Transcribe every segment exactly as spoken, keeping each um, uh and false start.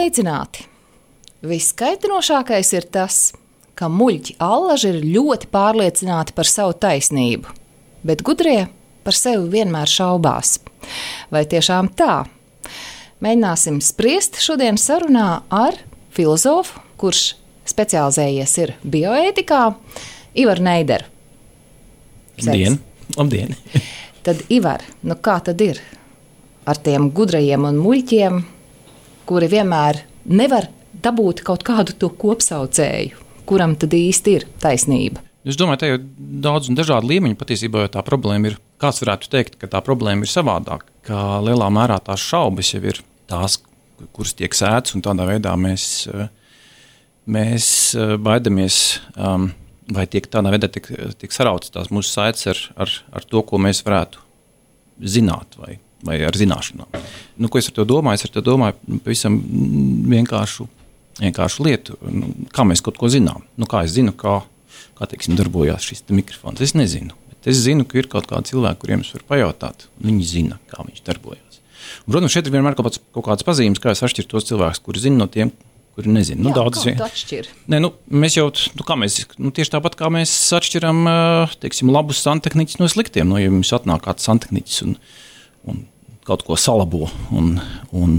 Sveicināti! Viskaitinošākais ir tas, ka muļķi allaži ir ļoti pārliecināti par savu taisnību, bet gudrie par sevi vienmēr šaubās. Vai tiešām tā? Mēģināsim spriest šodien sarunā ar filozofu, kurš specializējies ir bioētikā, Ivaru Neideru. Labdien! Labdien! Tad, Ivar, nu kā tad ir ar tiem gudrajiem un muļķiem, kuri vienmēr nevar dabūt kaut kādu to kopsaucēju, kuram tad īsti ir taisnība? Es domāju, te jau daudz un dažādi līmeņi patiesībā, jo tā problēma ir, kāds varētu teikt, ka tā problēma ir savādāk, ka lielā mērā tās šaubas jau ir tās, kuras tiek sētas, un tādā veidā mēs, mēs baidamies, um, vai tiek tādā veidā tiek, tiek sarautas tās mūsu saites ar, ar, ar to, ko mēs varētu zināt vai, vai ar zināšanām. Nu, ko es ar to domāju? Es ar to domāju pavisam vienkāršu, vienkāršu lietu, nu, kā mēs kaut ko zinām. Nu, kā es zinu, kā, kā teiksim, darbojās šis mikrofons. Es nezinu, bet es zinu, ka ir kaut kādi cilvēki, kuriem es varu pajautāt, un viņi zina, kā viņš darbojās. Un, protams, šeit ir vienmēr kaut, kāds, kaut kādas pazīmes, kā es atšķiru tos cilvēkus, kuri zina no tiem, kuri nezina. Nu, Jā, daudz, kā tu atšķir? Nē, nu, mēs jau, nu, kā mēs, nu, tieši tāpat kā mēs atšķiram, teiksim, labus santehniķus no sliktiem. No, ja mums atnāk kāds santehniķis un, un kaut ko salabo un, un,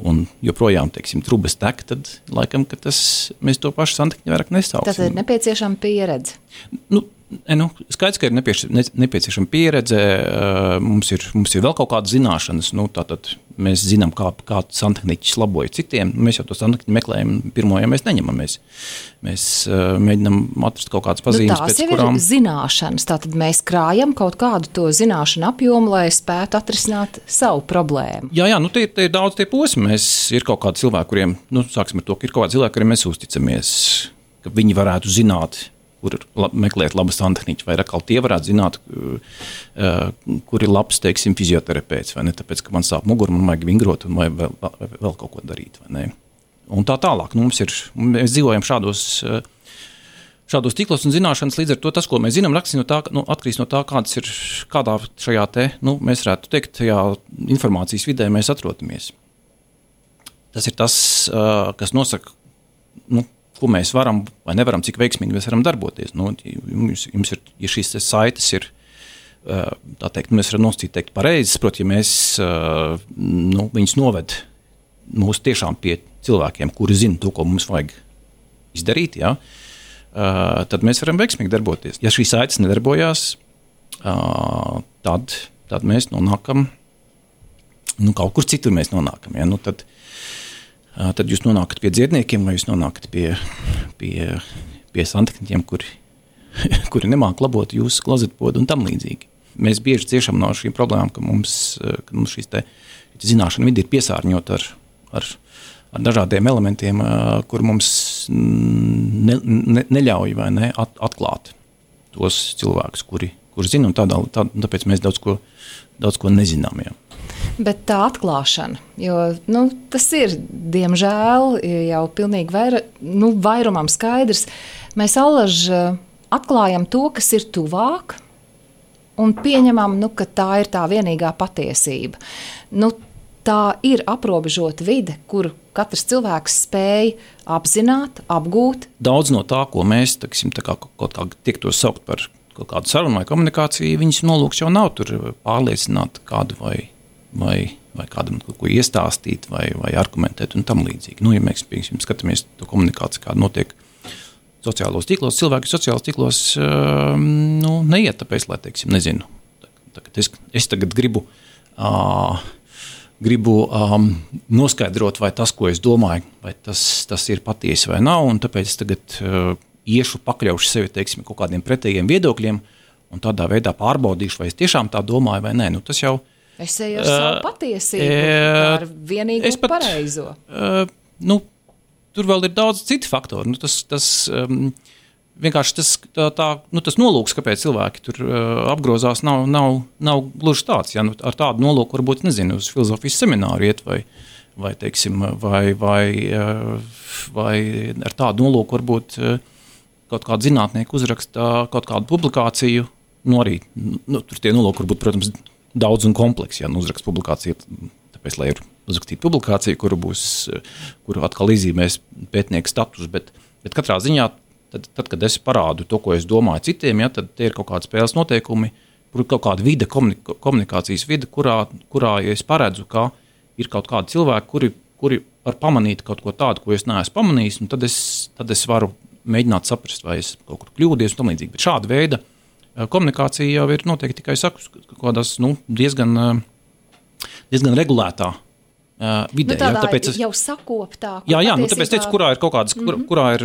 un joprojām, teiksim, trubas tek, tad laikam, ka tas, mēs to pašu santehniķu vairāk nesauksim. Tad ir nepieciešama pieredze. Nu, nu, skaidrs, ka ir nepieciešama pieredze, mums ir, mums ir vēl kaut kādas zināšanas, nu, tātad mēs zinām, kā, kā santehniķis laboja citiem, mēs jau to santehniķu meklējam, pirmo, ja mēs neņemam, mēs, mēs mēģinam atrast kaut kādas pazīmes, nu, pēc kurām... Tās jau ir zināšanas, tātad mēs krājam kaut kādu to zināšanu apjomu, lai spētu atrisināt savu problēmu. Jā, jā, nu, te, te ir daudz tie posmi, mēs ir kaut kādi cilvēki, kuriem, nu, sāksim ar to, ka ir kaut kādi cilvēki, kuriem mēs uzticamies, ka viņi varētu zināt, kur lab, meklēt labu santehniķu, vai atkal tie varētu zināt, uh, kur ir labs, teiksim, fizioterapeits, vai ne, tāpēc, ka man sāp muguru, man vajag vingrot, un vai vēl, vai vēl kaut ko darīt, vai ne. Un tā tālāk, nu, mums ir, mēs dzīvojam šādos, šādos tīklos un zināšanas, līdz ar to tas, ko mēs zinām, rakstīs no tā, nu, atkarīgs no tā, kāds ir, kādā šajā te, nu, mēs varētu teikt, tajā informācijas vidē mēs atrodamies. Tas ir tas, uh, kas nosaka, nu, ko mēs varam vai nevaram, cik veiksmīgi mēs varam darboties. Nu, jums, jums ir, ja šīs saites ir, tā teikt, mēs varam nosacīt teikt pareizes, proti, ja mēs, nu, viņus noved mūs tiešām pie cilvēkiem, kuri zina to, ko mums vajag izdarīt, jā, tad mēs varam veiksmīgi darboties. Ja šīs saites nedarbojās, tad, tad mēs nonākam, nu, kaut kur citur mēs nonākam, jā, nu, tad tad jūs nonākat pie dziedniekiem, vai jūs nonākat pie, pie, pie santehniķiem, kuri, kuri nemāk labot jūsu klozetpodu un tam līdzīgi. Mēs bieži ciešam no šīm problēmām, ka mums, ka mums šīs te zināšana vidi ir piesārņot ar, ar, ar dažādiem elementiem, kur mums ne, ne, neļauj vai ne at, atklāt tos cilvēkus, kuri, kuri zina, un tādā, tā, tāpēc mēs daudz ko, daudz ko nezinām. Jā. Bet tā atklāšana, jo nu, tas ir, diemžēl, jau pilnīgi vaira, nu, vairumam skaidrs, mēs allaži atklājam to, kas ir tuvāk, un pieņemam, nu, ka tā ir tā vienīgā patiesība. Nu, tā ir aprobežota vide, kuru katrs cilvēks spēj apzināt, apgūt. Daudz no tā, ko mēs, taksim, tā kā kaut kā tiek to saukt par kaut kādu sarunu vai komunikāciju, viņas nolūks jau nav tur pārliecināt kādu vai vai, vai kādam kaut ko iestāstīt, vai, vai argumentēt un tam līdzīgi. Nu, ja mēs, piemēram, skatāmies to komunikāciju, kāda notiek sociālos tīklos, cilvēki sociālos tīklos uh, nu, neiet tāpēc, lai, teiksim, nezinu. Tagad es, es tagad gribu, uh, gribu um, noskaidrot, vai tas, ko es domāju, vai tas, tas ir patiesi vai nav, un tāpēc es tagad uh, iešu, pakļaušu sevi, teiksim, kaut kādiem pretējiem viedokļiem, un tādā veidā pārbaudīšu, vai es tiešām tā domāju vai nē. Nu, tas jau Es eju ar savu patiesību, uh, ar vienīgo pat, pareizo. Uh, nu, tur vēl ir daudz citu faktoru. Nu, tas, tas, um, vienkārši tas, tā, tā, nu, tas nolūks, kāpēc cilvēki tur uh, apgrozās, nav, nav, nav gluži tāds. Ja? Nu, ar tādu nolūku varbūt, nezinu, uz filozofijas semināru iet vai, vai, teiksim, vai, vai, uh, vai ar tādu nolūku varbūt uh, kaut kādu zinātnieku uzraksta kaut kādu publikāciju. Nu, arī, nu, tur tie nolūki varbūt, protams, daudz un kompleks, ja nu uzrakst publikāciju, tāpēc, lai ir uzrakstīt publikāciju, kuru būs, kuru atkal izzīmēs pētnieku status, bet, bet katrā ziņā, tad, tad, kad es parādu to, ko es domāju citiem, ja, tad tie ir kaut kādi spēles noteikumi, kaut kāda vide, komunikācijas vide, kurā, kurā ja es paredzu, ka ir kaut kādi cilvēki, kuri, kuri var pamanīt kaut ko tādu, ko es neesmu pamanījis, un tad es, tad es varu mēģināt saprast, vai es kaut kur kļūdies un tam līdzīgi. Bet šāda veida komunikācija jau ir noteikti tikai saku, kādās nu, diezgan, diezgan regulētā uh, vidē. Nu, tādā jā, tāpēc es, jau sakoptā. Jā, jā, nu, tāpēc teicu, kurā ir kaut kādas, kur, mm-hmm. kurā ir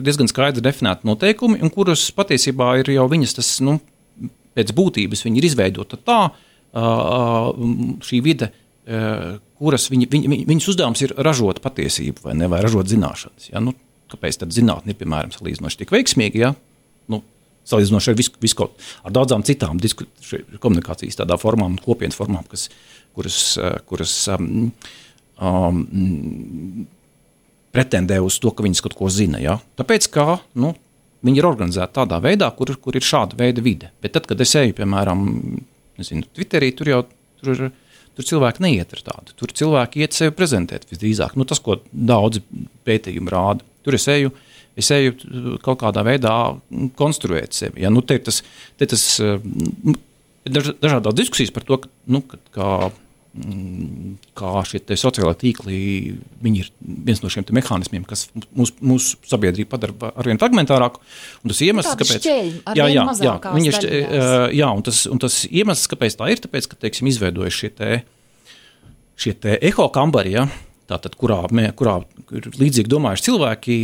diezgan skaidri definēti noteikumi, un kuras patiesībā ir jau viņas tas, nu, pēc būtības viņi ir izveidota tā, uh, šī vide, uh, kuras viņi, viņi, viņas uzdevums ir ražot patiesību vai ne, vai ražot zināšanas. Ja? Nu, kāpēc tad zinātne ir, piemēram, salīdzinoši tik veiksmīga, ja? Nu, salīdzinoši ar, visu, visu kaut, ar daudzām citām disku, komunikācijas tādā formām, kopienas formām, kas, kuras, kuras um, um, pretendē uz to, ka viņas kaut ko zina. Ja? Tāpēc, ka nu, viņi ir organizēti tādā veidā, kur, kur ir šāda veida vide. Bet tad, kad es eju, piemēram, nezinu, Twitterī, tur jau tur ir, tur cilvēki neiet ar tādu. Tur cilvēki iet sevi prezentēt visdrīzāk. Nu, tas, ko daudzi pētījumi rāda. Tur es eju, es eju kaut kādā veidā konstruēt sevi. Ja? Nu, te ir tas, te tas daž, dažādās diskusijas par to, ka, nu, kā, kā šie te sociālai tīkli, viņi ir viens no šiem te mehānismiem, kas mūsu mūs sabiedrību padara arvien fragmentārāku. Un tas iemesls, kāpēc... Šķeļi, jā, jā, jā, viņi šķe, jā, un tas, un tas iemesls, kāpēc tā ir, tāpēc, ka, teiksim, izveidojas šie te, šie te eho kambari, ja? Tātad, kurā, kurā ir līdzīgi domājuši cilvēki,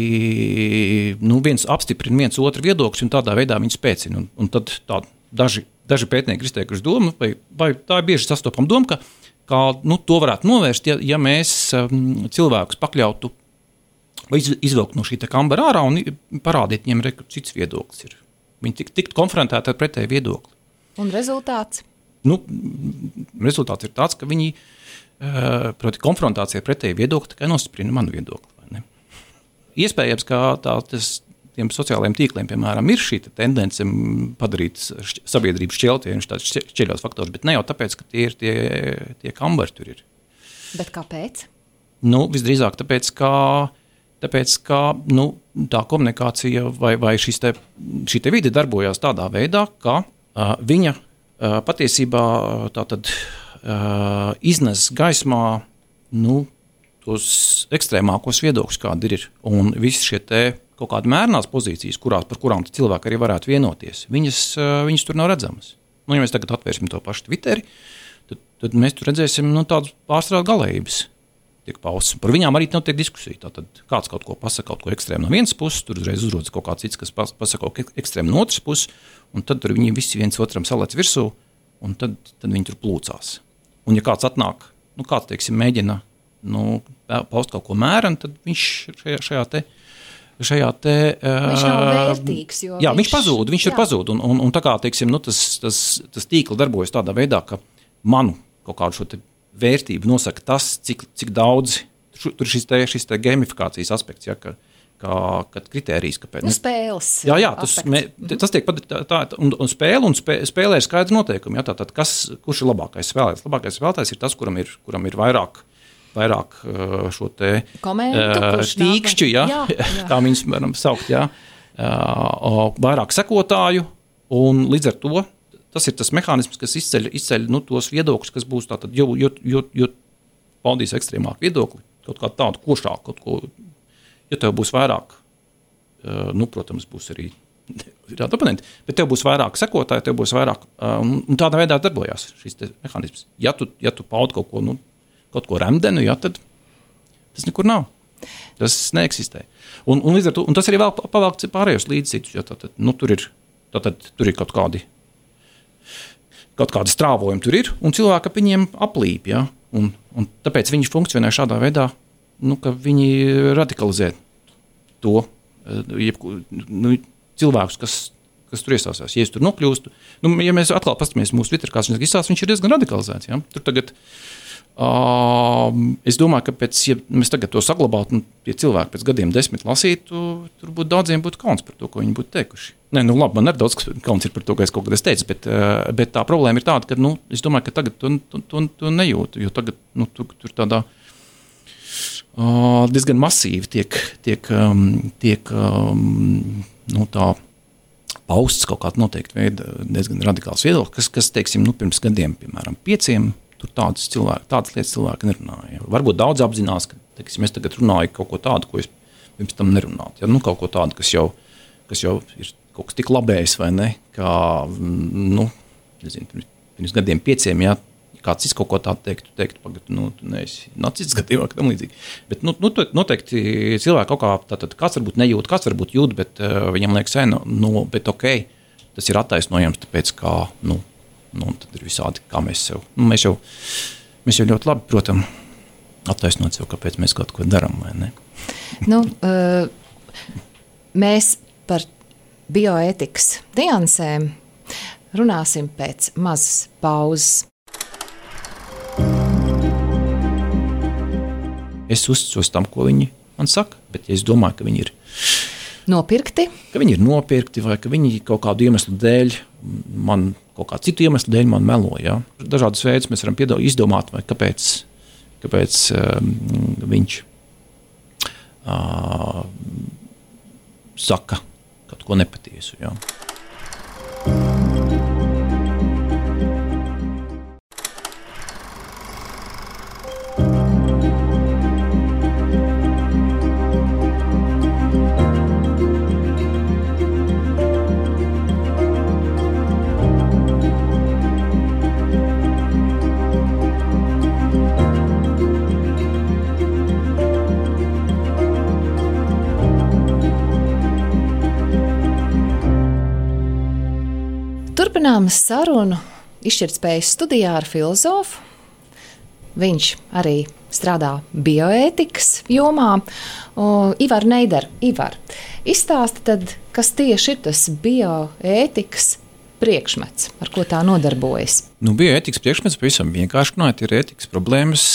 nu, viens apstiprina viens otru viedokļus un tādā veidā viņi spēcina. Un, un tad tā, daži, daži pētnieki ir izteikuši domu, vai, vai tā ir bieži sastopama doma, ka, ka nu, to varētu novērst, ja, ja mēs um, cilvēkus pakļautu vai iz, izvilkt no šī te kambara ārā un parādīt viņiem, re, ka cits viedoklis ir. Viņi tik, tiktu konfrontēti ar pretēju viedokli. Un rezultāts? Nu, rezultāts ir tāds, ka viņi proti konfrontācija pretēji viedokļi tikai nostiprina manu viedokli. Vai ne? Iespējams, ka tā, tas, tiem sociālajiem tīkliem, piemēram, ir šī tendence padarīt sabiedrību šķeltienus, tāds šķeļos faktors, bet ne jau tāpēc, ka tie ir tie, tie kambari tur ir. Bet kāpēc? Nu, visdrīzāk tāpēc, ka, tāpēc, ka nu, tā komunikācija vai, vai šis te, šī te vide darbojās tādā veidā, ka uh, viņa uh, patiesībā tātad Uh, iznes gaismā nu, tos ekstrēmākos viedokļus, kādi ir. Un visi šie te kaut kādi mērnās pozīcijas, kurās, par kurām cilvēki arī varētu vienoties, viņas, uh, viņas tur nav redzamas. Nu, ja mēs tagad atvērsim to pašu Twitteri, tad, tad mēs tur redzēsim nu, tādas pārstrādes galējības. Tiek paustas. Par viņām arī notiek diskusija. Tātad kāds kaut ko pasaka, kaut ko ekstrēmu no vienas puses, tur uzreiz uzrodas kaut kāds cits, kas pasaka kaut ko ekstrēmu no otras puses, un tad tur viņi visi viens otram salēc virsū, un tad, tad viņi tur plūcās. Un ja kāds atnāk, nu kāds, teiksim, mēģina nu, paust kaut ko mēram, tad viņš šajā, šajā te, šajā te... Viņš nav vērtīgs, jo jā, viņš... viņš pazūd, viņš jā. ir pazūd. Un, un, un tā kā, teiksim, nu, tas, tas, tas tīkli darbojas tādā veidā, ka manu kaut kādu šo te vērtību nosaka tas, cik, cik daudz, tur ir šis te, šis te gamifikācijas aspekts, ja, ka, kā, kad kritērijs, kāpēc. Nu, spēles. Jā, jā, tas, mē, tas tiek padarīt tā, tā, un, un spēle, un spē, spēlē ir skaidri noteikumi, jā, tātad, kas, kurš ir labākais spēlētājs? Labākais spēlētājs ir tas, kuram ir, kuram ir vairāk, vairāk šo te Komentu, uh, tīkšķi, jā, jā, jā. kā viņus varam saukt, jā, uh, vairāk sekotāju, un līdz ar to tas ir tas mehānisms, kas izceļ, izceļ nu, tos viedokļus, kas būs tātad, jo, jo, jo, jo paudīs ekstrēmāku viedokli, kaut kā tādu košāku, kaut ko. Ja tev būs vairāk, nu, protams, būs arī tādi oponenti, bet tev būs vairāk sekotāji, tev būs vairāk, un tādā veidā darbojās šis mehānisms. Ja tu, ja tu paudi kaut ko, nu, kaut ko remdenu, ja, tad tas nekur nav. Tas neeksistē. Un, un, līdz ar to, un tas arī vēl pavēlkt pārējos līdzcitus, jo tātad, nu, tur ir, tātad, tur ir kaut kādi, kaut kādi strāvojumi tur ir, un cilvēki ap viņiem aplīp, ja, un, un tāpēc viņi funkcionē šādā veidā, nu, ka viņi radikalizē to jebku, nu, cilvēkus, kas, kas tur iestāsās. Ja es tur nokļūstu, nu, ja mēs atkal pastamies mūsu Twitter, kāds viņš izstās, viņš ir diezgan radikalizēts. Ja? Tur tagad Uh, es domāju, ka pēc, ja mēs tagad to saglabātu, un ja cilvēki pēc gadiem desmit lasītu, tur būtu daudziem būtu kauns par to, ko viņi būtu teikuši. Nē, nu labi, man arī daudz kauns ir par to, ka es kaut kad es teicu, bet, uh, bet tā problēma ir tāda, ka, nu, es domāju, ka tagad to, to, to, to nejūtu, jo tagad, nu, tur, tur tādā uh, diezgan masīvi tiek, tiek, um, tiek um, nu, tā pausts kaut kāda noteikti veida diezgan radikāls viedoklis, kas, kas, teiksim, nu, pirms gadiem, piemēram, pieciem, tur tādas, cilvēki, tādas lietas cilvēki nerunāja. Varbūt daudz apzinās, ka teiksim, es tagad runāju kaut ko tādu, ko es pirms tam nerunātu. Ja? Nu, kaut ko tādu, kas jau, kas jau ir kaut kas tik labējis, vai ne, kā, nu, nezinu, pirms, pirms gadiem pieciem, ja kāds cits kaut ko tādu teiktu, teiktu, pagad, nu, tu neesi nacists gadījumā, ka tam līdzīgi. Bet, nu, nu, noteikti cilvēki kaut kā, tātad kāds varbūt nejūt, kāds varbūt jūt, bet uh, viņam liekas, nu, nu, bet okei, okay, tas ir attaisnojams, tāpēc kā, nu, Nu, tad ir visādi, kā mēs sev. Nu, mēs, jau, mēs jau ļoti labi, protams, attaisnot sev, kāpēc mēs kaut ko darām, vai ne? Nu, uh, mēs par bioētikas niansēm runāsim pēc mazas pauzes. Es uzticos tam, ko viņi man saka, bet ja es domāju, ka viņi ir nopirkti, ka viņi ir nopirkti vai ka viņi kaut kādu iemeslu dēļ man kaut kā citu iemeslu dēļ man melo, ja? Dažādas veidus mēs varam piedāvāt, izdomāt, vai kāpēc, kāpēc um, viņš uh, saka kaut ko nepatiesu, ja? Turpinām sarunu izšķirtspējas studijā ar filozofu. Viņš arī strādā bioētikas jomā. O, Ivar Neider, Ivar, izstāsti tad, kas tieši ir tas bioētikas priekšmets, ar ko tā nodarbojas? Nu, bioētikas priekšmets pavisam vienkārši runājot ir ētikas problēmas,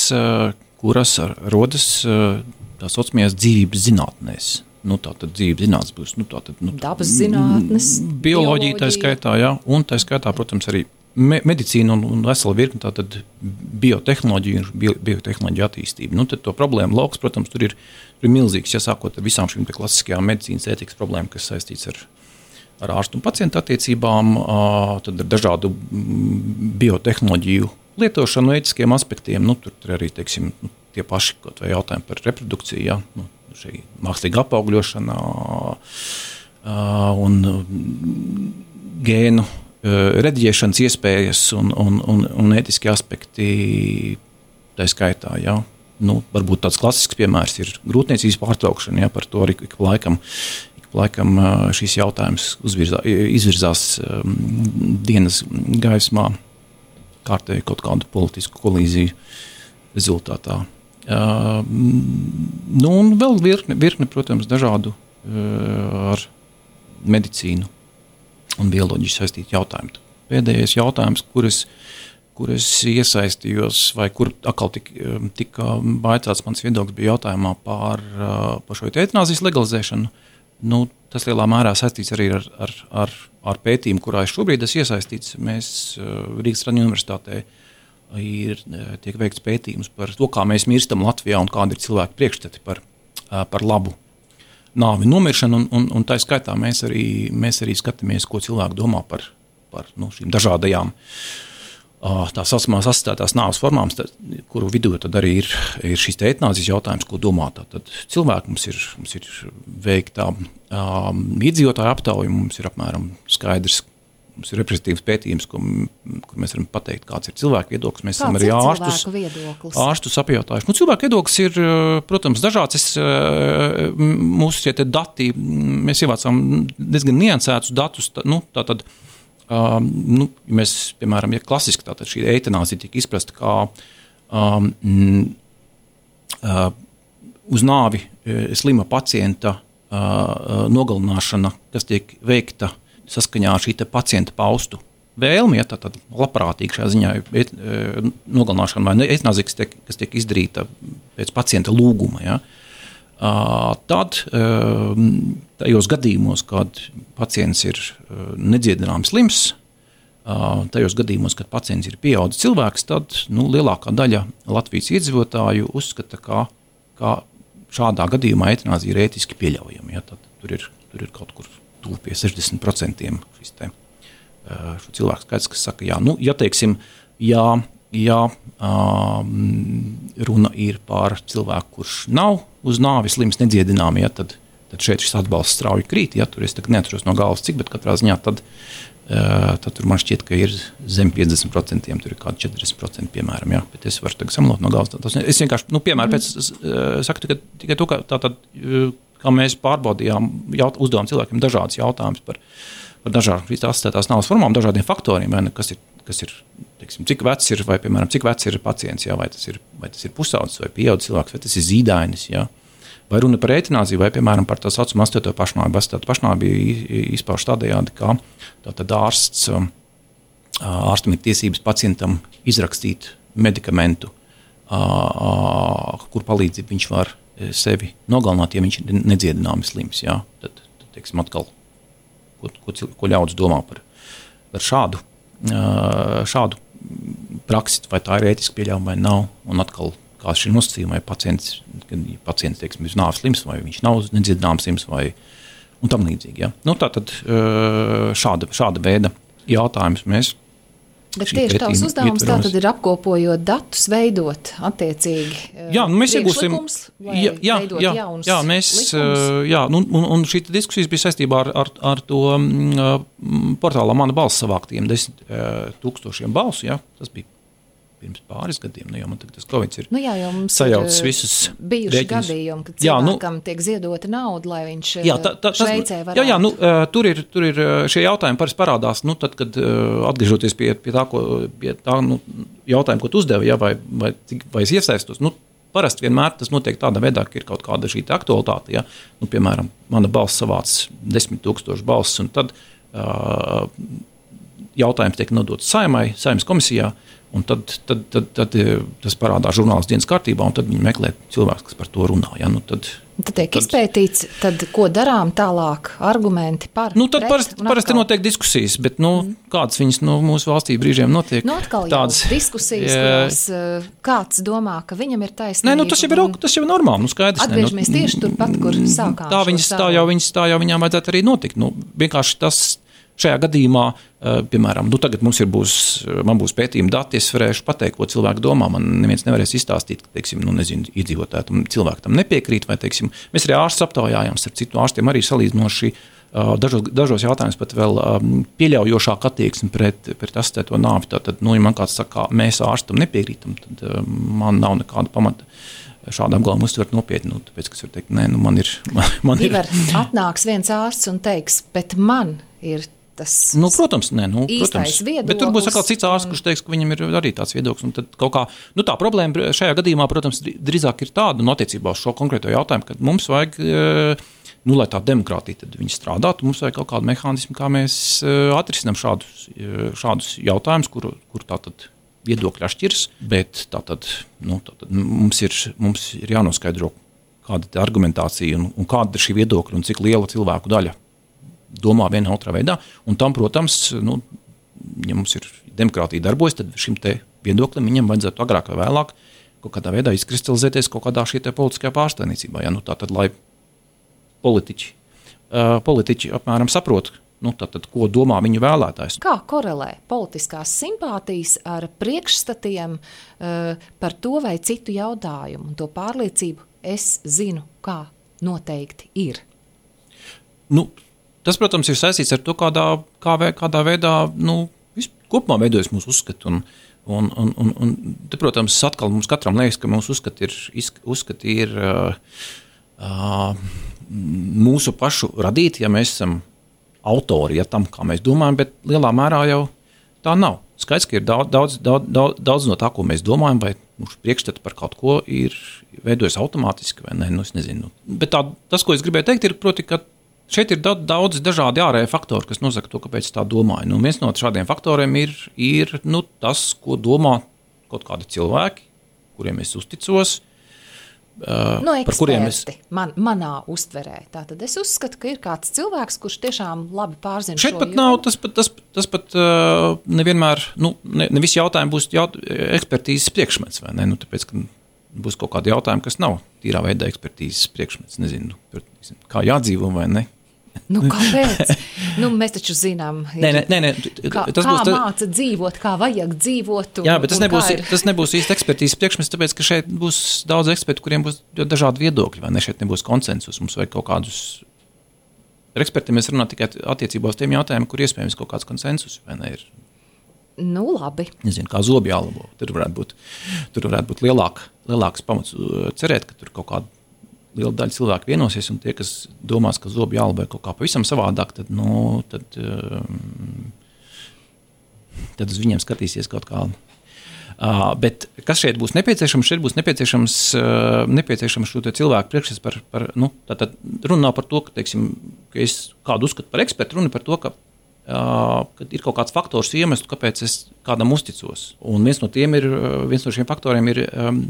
kuras rodas tā saucamajās dzīvības zinātnēs. Nu, tā tad dzīves zinātnes būs, nu, tā tad, nu, dabas zinātnes, bioloģija, tā skaitā, jā, un tā skaitā, protams, arī me, medicīna un, un vesela virkne, tā tad biotehnoloģija un bio, biotehnoloģija attīstība. Nu, tad to problēmu lauks, protams, tur ir, tur ir milzīgs, ja sākot ar visām šīm klasiskajām medicīnas ētikas problēmām, kas saistīts ar, ar ārstu un pacientu attiecībām, tad ar dažādu biotehnoloģiju lietošanu ētiskiem aspektiem, nu, tur, tur arī, teiksim, nu, tie paši kaut vai jautājumi par reprodukciju, jā, nu, šī mākslīga apaugļošana un gēnu rediģēšanas iespējas un, un, un, un ētiskie aspekti tā skaitā. Ja. Nu, varbūt tāds klasisks piemērs ir grūtniecības pārtraukšana, ja, par to arī ik laikam, ik laikam šīs jautājums uzvirzā, izvirzās um, dienas gaismā kārtēji kaut kādu politisku kolīziju rezultātā. Uh, nu, un vēl virkne, virkne, protams, dažādu uh, ar medicīnu un bioloģiju saistītu jautājumu. Pēdējais jautājums, kuras, kuras iesaistījos, vai kur atkal tika tik baicāts mans viedoklis, bija jautājumā par, par šo eitanāzijas legalizēšanu. Nu, tas lielā mērā saistīts arī ar, ar, ar, ar pētījumu, kurā es šobrīd esmu iesaistīts. Mēs Rīgas Traņu universitātē ir, tiek veikts pētījums par to, kā mēs mirstam Latvijā un kādi ir cilvēku priekšstati par, par labu nāvi nomiršanu. Un, un, un tā skaitā mēs arī, mēs arī skatāmies, ko cilvēki domā par, par nu, šīm dažādajām tā saucamās asistētās nāves formām, kuru vidū tad arī ir, ir šis eitanāzijas jautājums, ko domā. Tad cilvēki mums ir, mums ir veiktā um, iedzīvotāju aptauja, mums ir apmēram skaidrs, mums ir reprezentatīvs pētījums, ko, kur mēs varam pateikt, kāds ir cilvēku viedoklis. Mēs kāds esam arī ir ārstus, ārstus apjautājuši. Nu, cilvēku viedoklis ir, protams, dažāds. Es, mūsu šie te dati, mēs ievācām diezgan niansētus datus, tā, nu, tā tad, Um, nu, mēs, piemēram, ja klasiski tātad šī eitanāzija tika izprasta kā um, uh, uz nāvi uh, slima pacienta uh, nogalināšana, kas tiek veikta saskaņā ar šī te pacienta paustu vēlmi, ja, tā tad labprātīgi šajā ziņā et, nogalināšana vai eitanāzija, kas tiek, kas tiek izdarīta pēc pacienta lūguma, ja, tad tajos gadījumos, kad pacients ir nedziedināms slims, tajos gadījumos, kad pacients ir pieaudzis cilvēks, tad nu, lielākā daļa Latvijas iedzīvotāju uzskata, ka, ka šādā gadījumā eitanāzija ir ētiski pieļaujama. Ja, tad tur ir, tur ir kaut kur tuvu pie sešdesmit procentiem šis te, šo cilvēku skaits, kas saka, jā, nu, ja teiksim, jā, jā, runa ir par cilvēku, kurš nav uz nāvi slims nedziedināmi, ja, tad, tad šeit šis atbalsts strauji krīt, ja, tur es tagad neatceros no galvas cik, bet katrā ziņā tad, tad tur man šķiet, ka ir zem piecdesmit procentiem, tur ir kādi četrdesmit procenti, piemēram, jā, bet es varu tagad samalot no galvas. Tas, es vienkārši, nu, piemēram, pēc, saku tikai, tikai to, ka tātad, kā mēs pārbaudījām, jaut, uzdevām cilvēkiem dažādas jautājumus par, par dažādām šīs asistētās nāves formām, dažādiem faktoriem, vai ne, kas ir, kas ir, teiksim, cik vecs ir, vai, piemēram, cik vecs ir pacients, jā, vai tas ir, vai tas ir pusaudzis, vai pieaudzis cilvēks, vai tas ir zīdainis, jā. Vai runa par eitanāziju, vai, piemēram, par tā saucamu astoto pašnāvību. Astoto pašnāvību izpauž tādējādi, ka tātad ārsts, ārstam ir tiesības pacientam izrakstīt medikamentu, kur palīdzību viņš var sevi nogalināt, ja viņš ir nedziedināms slims. Jā. Tad, tad, teiksim, atkal, ko, ko, ko ļaudis domā par, par šādu, šādu praksi, vai tā ir ētiski pieļaujama vai nav, un atkal kāds šī nosacījuma, vai pacients, kad pacients, teiksim, ir nāves slims, vai viņš nav nedziedināms slims, vai un tam līdzīgi. Ja? Nu, tātad šāda, šāda veida jautājumus mēs. Bet tieši tavs uzdevums tātad ir apkopojot datus, veidot attiecīgi jā, nu mēs iegūsim, vai jā, jā, veidot jā, jaunus jā, mēs, likumus? Jā, nu, un, un šī diskusijas bija saistībā ar, ar, ar to uh, portālā Mana balss savāktiem desmit uh, tūkstošiem balsu. Jā, tas bija pirms pāris gadiem, nu jau man tagad tas Covid ir nu jā, jo mums sajaucis visus bijuši rēķinus. gadījumi, kad jā, cilvēkam nu, tiek ziedota nauda, lai viņš jā, tā, tā, Šveicē varētu. Jā, jā, nu, tur ir, tur ir šie jautājumi parasti parādās, nu, tad, kad atgriežoties pie, pie tā, ko, pie tā nu, jautājumu, ko tu uzdevi, ja, vai, vai, vai es iesaistos, nu, parasti vienmēr tas notiek tādā veidā, ka ir kaut kāda šī aktualitāte, ja, nu, piemēram, Mana balss savāc desmit tūkstoši balss, un tad uh, jautājums tiek nodots Saeimai, Saeimas komisijā, un tad, tad, tad, tad tas parādās žurnālistu dienas kārtībā, un tad viņi meklē cilvēks, kas par to runā. Ja? Nu, tad, tad tiek tad, izpētīts, tad ko darām tālāk, argumenti par nu, tad pret, parasti, parasti notiek diskusijas, bet nu, mm. kādas viņas nu, mūsu valstī brīžiem notiek? Nu, atkal tādas, jau diskusijas, kurās kāds domā, ka viņam ir taisnība. Nē, nu, tas jau ir, tas jau ir normāli, nu, skaidrs. Atgriežamies ne, nu, tieši turpat, kur sākām. Tā, viņas, tā, jau, viņas, tā jau viņām vajadzētu arī notikt. Nu, vienkārši tas šajā gadījumā, piemēram, nu tagad mums ir būs, man būs pētījuma dati, es varēšu pateikt, ko cilvēki domā, man neviens nevarēs izstāstīt, ka, teiksim, nu nezinu, iedzīvotāji tam cilvēki tam nepiekrīt, vai, teiksim, mēs arī ārstus aptaujājām, starp citu ārstiem arī salīdzinoši dažos, dažos jautājumus pat vēl pieļaujošāk attieksmi pret, pret asistēto nāvi. Tātad, nu, ja man kāds saka, mēs ārstam nepiekrītam, tad man nav nekāda pamata šādu apgalvumu uztvert nopietni, nu, tāpēc, kas var teikt, nē, nu, man ir, man, man ir. Ivar, atnāks viens ārsts un teiks, bet man ir tas nu, protams, nē, nu, protams. Viedoklis. Bet tur būs atkal cits ārsts, kurš teiks, ka viņam ir arī tāds viedoklis. Un tad kaut kā, nu, tā problēma šajā gadījumā, protams, drīzāk ir tāda, no attiecībā uz šo konkrēto jautājumu, ka mums vajag, nu, lai tā demokrātija tad viņi strādātu, mums vajag kaut kādu mehānismu, kā mēs atrisinām šādus, šādus jautājumus, kur, kur tātad viedokļi atšķiras, bet tātad, nu, tātad mums ir, mums ir jānoskaidro, kāda ir argumentācija un, un kāda ir šī viedokļa un cik liela cilvēku daļa domā vienā otrā veidā, un tam, protams, nu, ja mums ir demokrātija darbojas, tad šim te viedoklim viņam vajadzētu agrāk vai vēlāk kaut kādā veidā izkristalizēties kaut kādā šī te politiskajā pārstāvniecībā. Ja? Nu, tātad, lai politiķi, uh, politiķi apmēram saprot, nu, tātad, ko domā viņu vēlētājs. Kā korelē politiskās simpātijas ar priekšstatiem uh, par to vai citu jautājumu, un to pārliecību es zinu, kā noteikti ir? Nu, tas, protams, ir saistīts ar to, kādā, kā, kādā veidā nu, kopumā veidojas mūsu uzskati. Un, un, un, un, un te, protams, atkal mums katram liekas, ka mūsu uzskati ir, uzskati ir uh, uh, mūsu pašu radīti, ja mēs esam autori, ja tam, kā mēs domājam, bet lielā mērā jau tā nav. Skaidrs, ka ir daudz, daudz, daudz, daudz, daudz no tā, ko mēs domājam, vai mūsu priekšstati par kaut ko ir veidojas automātiski, vai ne, nu, es nezinu. Bet tā, tas, ko es gribēju teikt, ir proti, ka šeit ir daudz dažādi ārēji faktori, kas nosaka to, kāpēc es tā domāju. Nu, viens no šādiem faktoriem ir, ir nu, tas, ko domā kaut kādi cilvēki, kuriem es uzticos. Uh, no eksperti, es... man, manā uztverē. Tātad es uzskatu, ka ir kāds cilvēks, kurš tiešām labi pārzina šeit šo pat jomu. nav, tas pat, tas, tas pat uh, nevienmēr, nu, ne, ne visi jautājumi būs jaut, ekspertīzes priekšmets, vai ne? Nu, tāpēc, ka būs kaut kādi jautājumi, kas nav tīrā veidā ekspertīzes priekšmets, nezinu, kā jādzīvo vai ne. Nu, kāpēc? Nu, mēs taču zinām, nē, nē, nē, nē, kā, tas kā būs, māca dzīvot, kā vajag dzīvot. Un, jā, bet tas nebūs, ir... tas nebūs īsti ekspertīzes priekšmets, tāpēc, ka šeit būs daudz ekspertu, kuriem būs dažādi viedokļi, vai ne, šeit nebūs konsensus, mums vajag kaut kādus, ar ekspertiem mēs runājam tikai attiecībā uz tiem jautājumiem, kur iespējams kaut kāds konsensus, vai ne, ir. Nu, labi. Nezinu, kā zobi jālabo, tur varētu būt, tur varētu būt lielāk, lielāks pamats cerēt, ka tur kaut kāda liela daļa cilvēku vienosies, un tie, kas domās, ka zobi jālabo kaut kā pavisam savādāk, tad, nu, tad, um, tad uz viņiem skatīsies kaut kā. Uh, bet kas šeit būs nepieciešams? Šeit būs nepieciešams, uh, nepieciešams šo cilvēku priekšstats par, par, nu, tātad runa nav par to, ka, teiksim, ka es kādu uzskatu par ekspertu, runa par to, ka Uh, kad ir kaut kāds faktors iemesls, kāpēc es kādam uzticos. Un viens no tiem ir, viens no šiem faktoriem ir, um,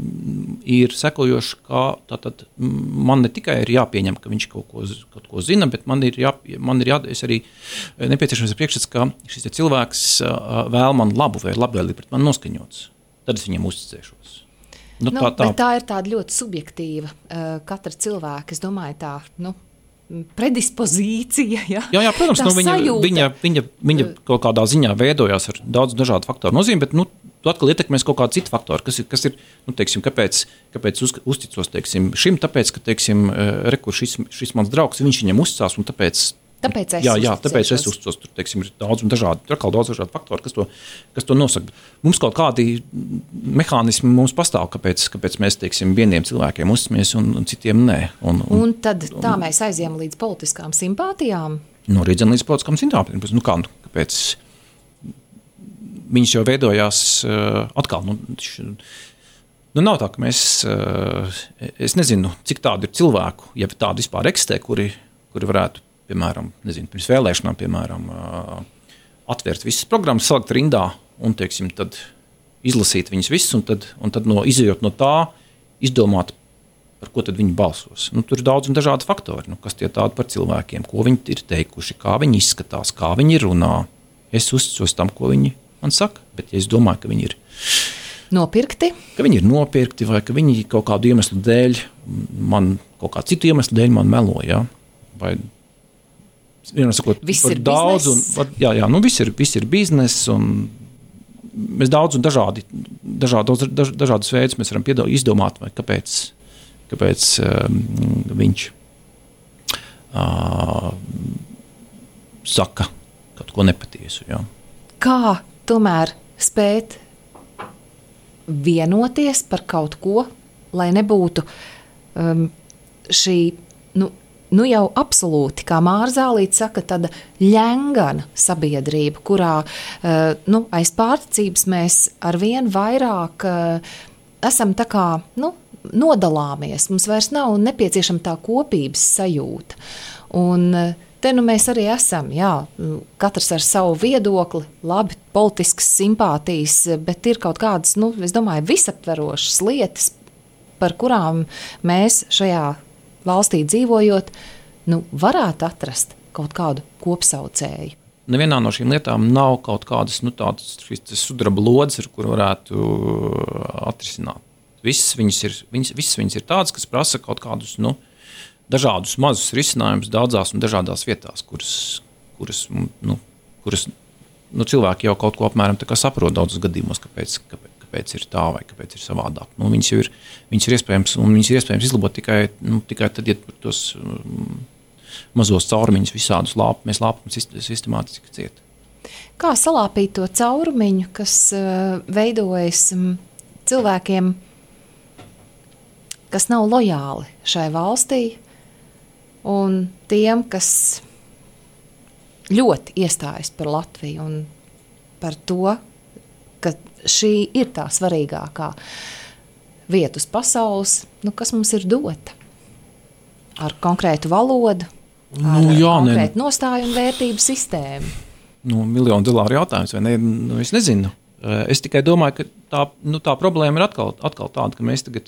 ir sekojošs, ka tātad man ne tikai ir jāpieņem, ka viņš kaut ko, kaut ko zina, bet man ir, jā, man ir jā, es arī nepieciešams priekšstats, ka šis cilvēks uh, vēl man labu vai labvēlīgi pret man noskaņots. Tad es viņam uzticēšos. Nu, nu, tā, tā. Bet tā ir tāda ļoti subjektīva uh, katra cilvēka, es domāju tā, nu, predispozīcija, ja? Jā, jā, protams, nu, viņa, viņa, viņa, viņa kaut kādā ziņā veidojās ar daudz dažādu faktoru nozīmi, bet, nu, tu atkal ietekmēs kaut kādu citu faktoru, kas ir, kas ir nu, teiksim, kāpēc, kāpēc uz, uzticos, teiksim, šim, tāpēc, ka, teiksim, rekur, šis, šis mans draugs, viņš viņam uzticās, un tāpēc, tāpēc es jā, jā, tāpēc es uzticos, tur, teiksim, ir daudz un dažādi, tur atkal daudz dažādu faktoru, kas to, kas to nosaka. Mums kaut kādi mehānismi mums pastāv, kāpēc, kāpēc mēs, teiksim, vieniem cilvēkiem uzticamies un, un citiem nē. Un, un, un tad tā mēs aizjām līdz politiskām simpātijām? Nu, rīdzen līdz politiskām simpātijām. Nu, kā, nu, kāpēc viņš jau veidojās uh, atkal, nu, š, nu, nav tā, ka mēs, uh, es nezinu, cik tādu ir cilvēku, ja tādu vispār eksistē, kuri, kuri varētu, piemēram, nezinu, pirms vēlēšanām, piemēram, uh, atvērt visas programmas, salikt rindā un, teiksim, tad izlasīt viņas visas un tad, un tad no, izejot no tā, izdomāt, par ko tad viņi balsos. Nu, tur ir daudz un dažādi faktori, nu, kas tie tādi par cilvēkiem, ko viņi ir teikuši, kā viņi izskatās, kā viņi runā. Es uzticos tam, ko viņi man saka, bet ja es domāju, ka viņi ir nopirkti, ka viņi ir nopirkti vai ka viņi kaut kādu iemeslu dēļ, man kaut kā citu iemeslu dēļ man melo, ja? Vai sakot, viss ir daudz un, jā, jā, nu viss ir, viss ir biznes un mēs daudz un dažādi, dažādos, daž, dažādus veidus mēs varam piedal, izdomāt, vai kāpēc, kāpēc um, viņš uh, saka kaut ko nepatiesu. Jā. Kā tomēr spēt vienoties par kaut ko, lai nebūtu um, šī, nu, Nu jau absolūti, kā Mārzālīte saka, tāda ļengana sabiedrība, kurā uh, nu, aiz pārticības mēs arvien vairāk uh, esam tā kā nu, nodalāmies. Mums vairs nav nepieciešama tā kopības sajūta. Un uh, te nu mēs arī esam, jā, katrs ar savu viedokli, labi, politiskas simpātijas, bet ir kaut kādas, nu, es domāju, visaptverošas lietas, par kurām mēs šajā valstī dzīvojot, nu, varētu atrast kaut kādu kopsaucēju. Nevienā no šīm lietām nav kaut kādas nu, tādas sudraba lodes, ar kuru varētu atrisināt. Visas viņas ir, viņas, visas viņas ir tādas, kas prasa kaut kādus nu, dažādus mazus risinājumus daudzās un dažādās vietās, kuras, kuras, nu, kuras nu, cilvēki jau kaut ko apmēram tā kā saprot daudzos gadījumos, kāpēc, kāpēc. kāpēc ir tā vai kāpēc ir savādāk. Nu, viņas, ir, viņas ir iespējams, un viņas ir iespējams izlabot tikai, nu, tikai tad, ja tos um, mazos caurumiņus visādus lāp, mēs lāpam sistemātiski ciet. Kā salāpīt to caurumiņu, kas uh, veidojas um, cilvēkiem, kas nav lojāli šai valstī, un tiem, kas ļoti iestājas par Latviju un par to, ka šī ir tā svarīgākā vieta uz pasaules, nu, kas mums ir dota ar konkrētu valodu, ar nu, jā, konkrētu nostāju un vērtību sistēmu? Nu, miljonu dolāru jautājums, vai ne? Nu, es nezinu. Es tikai domāju, ka tā, nu, tā problēma ir atkal, atkal tāda, ka mēs tagad,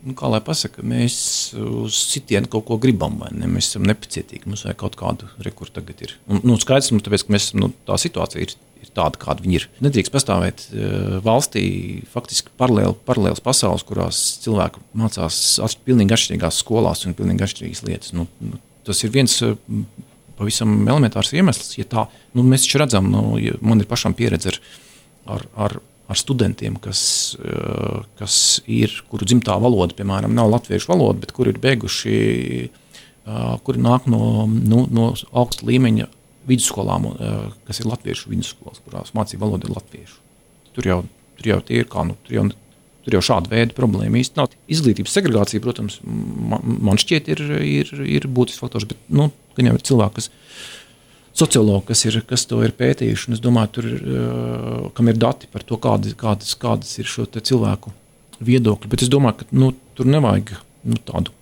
nu, kā lai pasaka, mēs uz sitienu kaut ko gribam, vai ne? Mēs esam nepacietīgi, mums vajag kaut kādu rekursu tagad ir. Un, nu, skaidrs, nu, tāpēc, ka mēs, nu, tā situācija ir, ir tāda, kāda viņa ir. Nedrīkst pastāvēt uh, valstī faktiski paralēli, paralēls pasaules, kurās cilvēki mācās at, pilnīgi atšķirīgās skolās un pilnīgi atšķirīgas lietas. Nu, nu, tas ir viens uh, pavisam elementārs iemesls, ja tā, nu, mēs taču redzam, nu, ja man ir pašam pieredze ar, ar, ar ar studentiem, kas, kas ir, kuru dzimtā valoda, piemēram, nav latviešu valoda, bet kuri ir beiguši, kuri nāk no, no, no augsta līmeņa vidusskolām, kas ir latviešu vidusskolas, kurās mācība valoda ir latviešu. Tur jau, tur jau tie ir kā, nu, tur jau, tur jau šāda veida problēma īsti nav. Izglītības segregācija, protams, man, man šķiet ir, ir, ir būtisks faktors, bet, nu, gan jau ir cilvēki, kas sociologi, kas, ir, kas to ir pētījuši, un es domāju, tur ir, uh, kam ir dati par to, kādas, kādas, kādas ir šo cilvēku viedokļi. Bet es domāju, ka nu, tur nevajag nu, tādu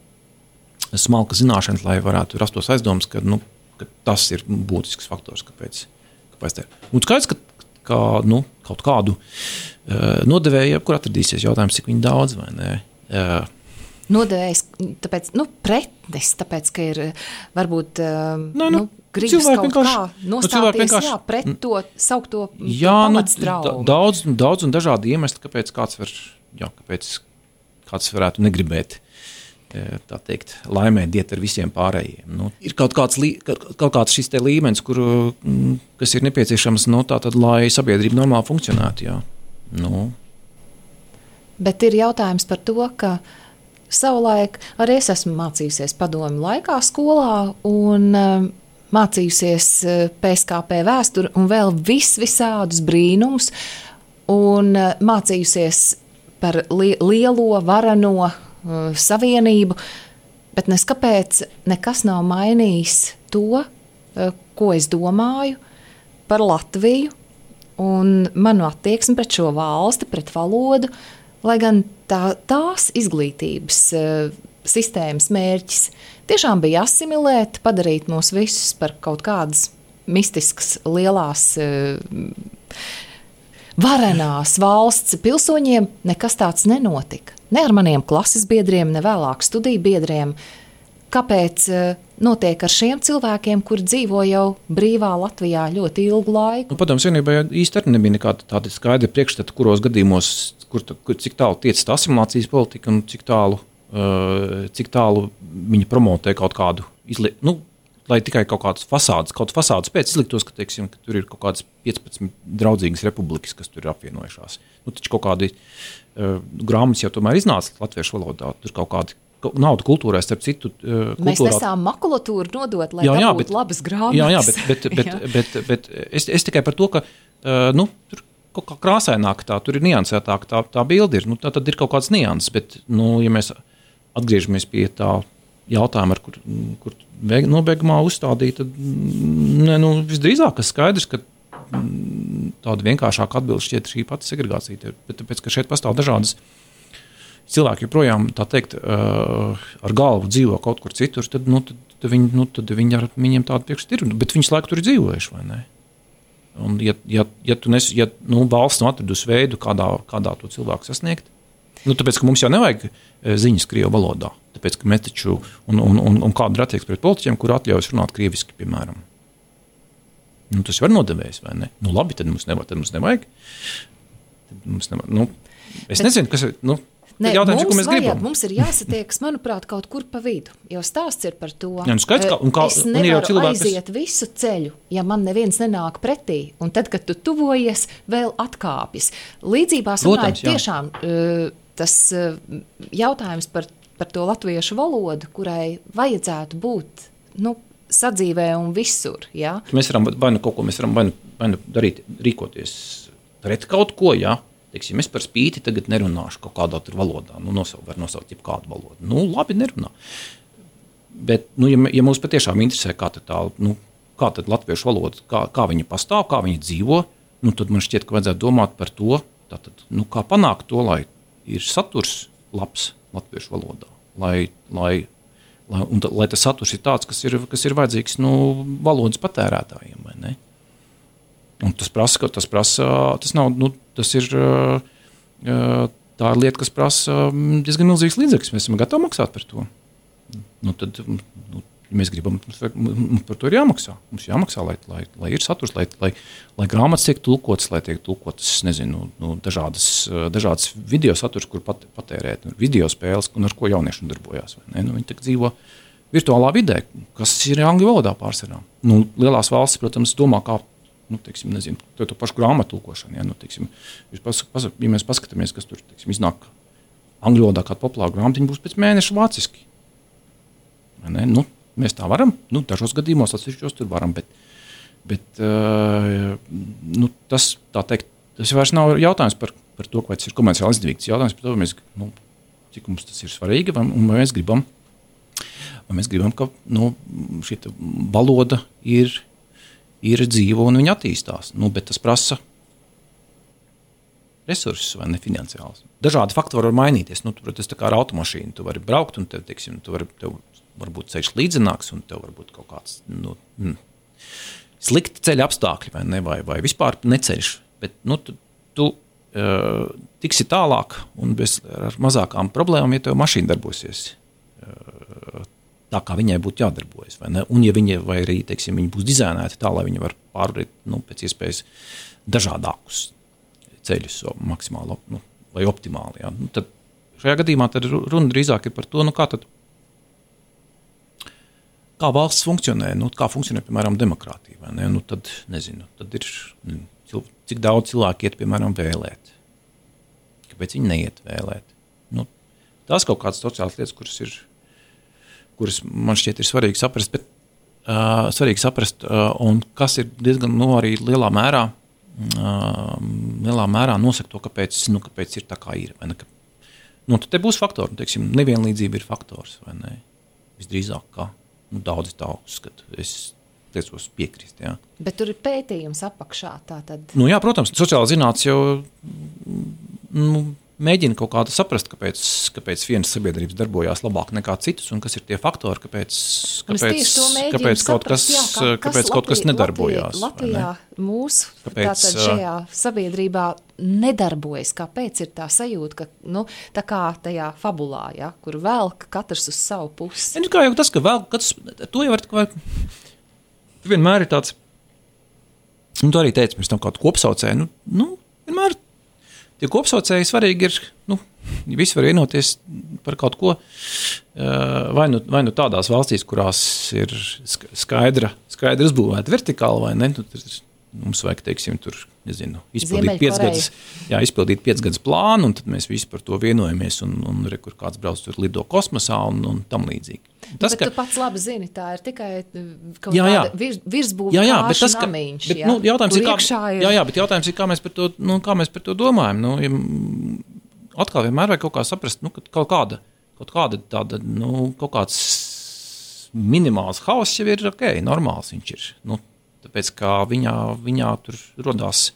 smalku zināšanu, lai varētu rastos aizdomas, ka, nu, ka tas ir būtisks faktors, kāpēc. kāpēc tā ir. Un skaidrs, ka, ka nu, kaut kādu uh, nodevēju, kur atradīsies jautājums, cik viņi daudz vai ne. Uh, Nodevējs, tāpēc, nu, pretnes, tāpēc, ka ir varbūt, Nē, nu, nu, gribas kaut kā nostāties, vienkārši, jā, pret to, saukt to, jā, to nu, pamatsdraugu. Daudz, daudz un dažādi iemesli, kāpēc kāds var, jā, kāpēc kāds varētu negribēt, tā teikt, laimēt iet ar visiem pārējiem. Nu, ir kaut kāds, kaut kāds šis te līmenis, kur, kas ir nepieciešams, nu, tātad, lai sabiedrība normāli funkcionētu, jā. Nu. Bet ir jautājums par to, ka savulaik arī es esmu mācījusies padomju laikā skolā un uh, mācījusies uh, P S K P vēsturi un vēl vis visādus brīnumus un uh, mācījusies par li lielo, varano uh, savienību, bet nes kāpēc nekas nav mainījis to, uh, ko es domāju par Latviju un manu attieksmi pret šo valsti, pret valodu, lai gan tā, tās izglītības uh, sistēmas mērķis tiešām bija asimilēt, padarīt mūs visus par kaut kādas mistiskas, lielās, uh, varenās valsts pilsoņiem, nekas tāds nenotika. Ne ar maniem klases biedriem, ne vēlāk studiju biedriem. Kāpēc uh, notiek ar šiem cilvēkiem, kuri dzīvo jau brīvā Latvijā ļoti ilgu laiku? Nu, padomju Savienībā īsti arī nebija nekāda tāda skaidra priekšstata, kuros gadījumos, kur, kur, cik tālu tiec tā asimilācijas politika un cik tālu, uh, cik tālu viņi promotē kaut kādu izliek, nu, lai tikai kaut kādas fasādes, kaut fasādes pēc izliktos, ka, teiksim, ka tur ir kaut kādas piecpadsmit draudzīgas republikas, kas tur ir apvienojušās. Nu, taču kaut kādi uh, grāmatas jau tomēr iznāca latviešu valodā, tur kaut kādi naudu kultūrā, starp citu. Uh, kultūrā. Mēs nesām makulatūru nodot, lai jā, jā, dabūtu bet, labas grāmatas. Jā, jā, bet, bet, bet, bet, bet, bet es, es tikai par to, ka uh, nu, tur kaut kā krāsaināk tā, tur ir niansētāk tā, tā bilde ir. Nu, tā tad ir kaut kāds nianses, bet, nu, ja mēs atgriežamies pie tā jautājuma, ar kur, kur nobeigumā uzstādīja, tad ne, nu, visdrīzāk, kas skaidrs, ka tāda vienkāršāka atbilde šķiet šī pati segregācija. Bet tāpēc, ka šeit pastāv dažādas cilvēki joprojām, tā teikt, uh, ar galvu dzīvo kaut kur citur, tad, nu, tad, tad, viņi, nu, tad viņi ar viņiem tādu priekšstatu ir, bet viņas laiku tur ir dzīvojuši, vai ne? Un ja, ja, ja tu nes, ja, nu, valsts nav atradusi veidu, kādā, kādā to cilvēku sasniegt, nu, tāpēc, ka mums jau nevajag ziņas krievu valodā, tāpēc, ka mēs taču, un, un, un, un kāda ir attieksme pret politiķiem, kur atļaujas runāt krieviski, piemēram. Nu, tas var nodevējis, vai ne? Nu, labi, tad mums nevajag. Tad mums nevajag. Tad mums nevajag. Nu, es bet, nezinu, kas ir, nu, Nē, jautājums, mums, ko mēs vajag, gribam. Mums ir jāsatiekas, manuprāt, kaut kur pa vidu, jo stāsts ir par to. Jā, nu skaidrs, kā, un kā, es un nevaru cilvēki, aiziet kas... visu ceļu, ja man neviens nenāk pretī, un tad, kad tu tuvojies, vēl atkāpjas. Līdzībās runājot tiešām tas jautājums par, par to latviešu valodu, kurai vajadzētu būt, nu, sadzīvē un visur, jā. Mēs varam, vai nu kaut ko, mēs varam vai nu, vai nu darīt, rīkoties pret kaut ko, jā. Teiksim, es par spīti tagad nerunāšu kaut kādā tur valodā. Nu, nosaukt, var nosaukt jau kādu valodu. Nu, labi, nerunā. Bet, nu, ja, ja mums patiešām interesē, kā tad tā, nu, kā tad latviešu valoda, kā, kā viņa pastāv, kā viņa dzīvo, nu, tad man šķiet, ka vajadzētu domāt par to, tātad, nu, kā panākt to, lai ir saturs labs latviešu valodā. Lai, lai, lai, un, lai tas saturs ir tāds, kas ir, kas ir vajadzīgs nu, valodas patērētājiem. Vai ne? Un tas prasa, tas prasa, tas nav, nu, tas ir, tā ir lieta, kas prasa diezgan milzīgs līdzekļus. Mēs esam gatavi maksāt par to. Nu, tad, nu, ja mēs gribam, mums par to ir jāmaksā. Mums jāmaksā, lai, lai, lai ir saturs, lai, lai, lai grāmatas tiek tulkotas, lai tiek tulkotas, nezinu, nu, dažādas, dažādas video saturs, kur pat, patērēt, video spēles, un ar ko jaunieši darbojās. Vai ne? Nu, viņi tagad dzīvo virtuālā vidē, kas ir angļu valodā pārsvarā. Nu, lielās valstis, protams, domā, kā, nu, teiksim, nezinu, to, to pašu grāmatu tulkošanu. Ja, nu, teiksim, pas, pas, ja mēs paskatāmies, kas tur, teiksim, iznāk angļu valodā kāda populāra grāmata, viņi būs pēc mēneša vāciski. Vai ne? Nu, mēs tā varam, nu, dažos gadījumos atsevišķos tur varam, bet, bet uh, nu, tas, tā teikt, tas vairs nav jautājums par, par to, vai tas ir komerciāli izdevīgs. Jautājums par to, mēs, nu, cik mums tas ir svarīgi, vai, un vai mēs gribam, vai mēs gribam, ka nu, šī valoda ir, ir dzīva un viņa attīstās. Nu, bet tas prasa resursus vai ne finansiāls. Dažādi faktori var mainīties. Nu, tu, protams, tā kā ar automašīnu tu vari braukt un tev, teiksim, tu vari, tev varbūt ceļš līdzenāks un tev varbūt kaut kāds nu, mm, slikti ceļa apstākļi vai, ne, vai, vai vispār neceļš. Bet nu, tu, tu uh, tiksi tālāk un bez, ar mazākām problēmām, ja tev mašīna darbosies uh, tā, kā viņai būtu jādarbojas. Vai ne? Un ja viņa, vai arī, teiksim, viņa būs dizainēta tā, lai viņa var pārvarēt nu, pēc iespējas dažādākus ceļus maksimāli nu, vai optimāli. Ja? Nu, tad šajā gadījumā tad runa drīzāk ir par to, nu, kā tad kā valsts funkcionē, nu, kā funkcionē, piemēram, demokrātija, vai ne? Nu, tad, nezinu, tad ir, cik daudz cilvēku iet, piemēram, vēlēt. Kāpēc viņi neiet vēlēt? Nu, tās kaut kādas sociālas lietas, kuras ir, kuras man šķiet ir svarīgi saprast, bet uh, svarīgi saprast, uh, un kas ir diezgan, nu, arī lielā mērā, uh, lielā mērā nosaka to, kāpēc, nu, kāpēc ir tā kā ir, vai ne? Ka, nu, tad te būs faktori, nu, teiksim, nevienlīdzība ir faktors, vai ne? Visdrīzāk kā. Nu, daudzi tā uzskata. Es tiecos piekrist, jā. Bet tur ir pētījums apakšā, tā tad... Nu, jā, protams, sociāla zinātnes jau nu, mēģina kaut kādu saprast, kāpēc, kāpēc vienas sabiedrības darbojās labāk nekā citas, un kas ir tie faktori, kāpēc, kāpēc, kāpēc kaut kas, jā, kā, kāpēc kas kaut kas nedarbojās. Latvijā, Latvijā mūsu kāpēc, tātad šajā sabiedrībā nedarbojas, kāpēc ir tā sajūta, ka, nu, tā kā tajā fabulā, ja, kur velk katrs uz savu pusi. Ja, kā jau tas, ka velk katrs, to jau var, vai, vienmēr ir tāds, un tu arī teici, mēs tam kādu kopsaucēju, nu, nu, vienmēr tie kopsaucēji svarīgi ir, nu, visi var vienoties par kaut ko, vai nu, vai nu tādās valstīs, kurās ir skaidra, skaidra uzbūvēta vertikāli, vai ne, nu, mums vajag, teiksim, tur, nezinu, izpildīt piecgadus, jā, izpildīt piecgadus plānu, un tad mēs visi par to vienojamies, un, un re, kur kāds brauc tur lido kosmosā, un, un tam līdzīgi. Tas, bet ka, tu pats labi zini, tā ir tikai kaut jā, jā. tāda virs, virsbūva kāšu namiņš, bet, jā, nu, jautājums ir, kā, ir... Jā, jā, bet jautājums ir, kā mēs par to, nu, kā mēs par to domājam. Nu, ja, atkal vienmēr vajag kaut kā saprast, nu, kaut kāda, kaut kāda tāda, nu, kaut kāds minimāls hauss jau ir ok, normāls viņš ir. Nu, tāpēc, kā viņā, viņā tur rodās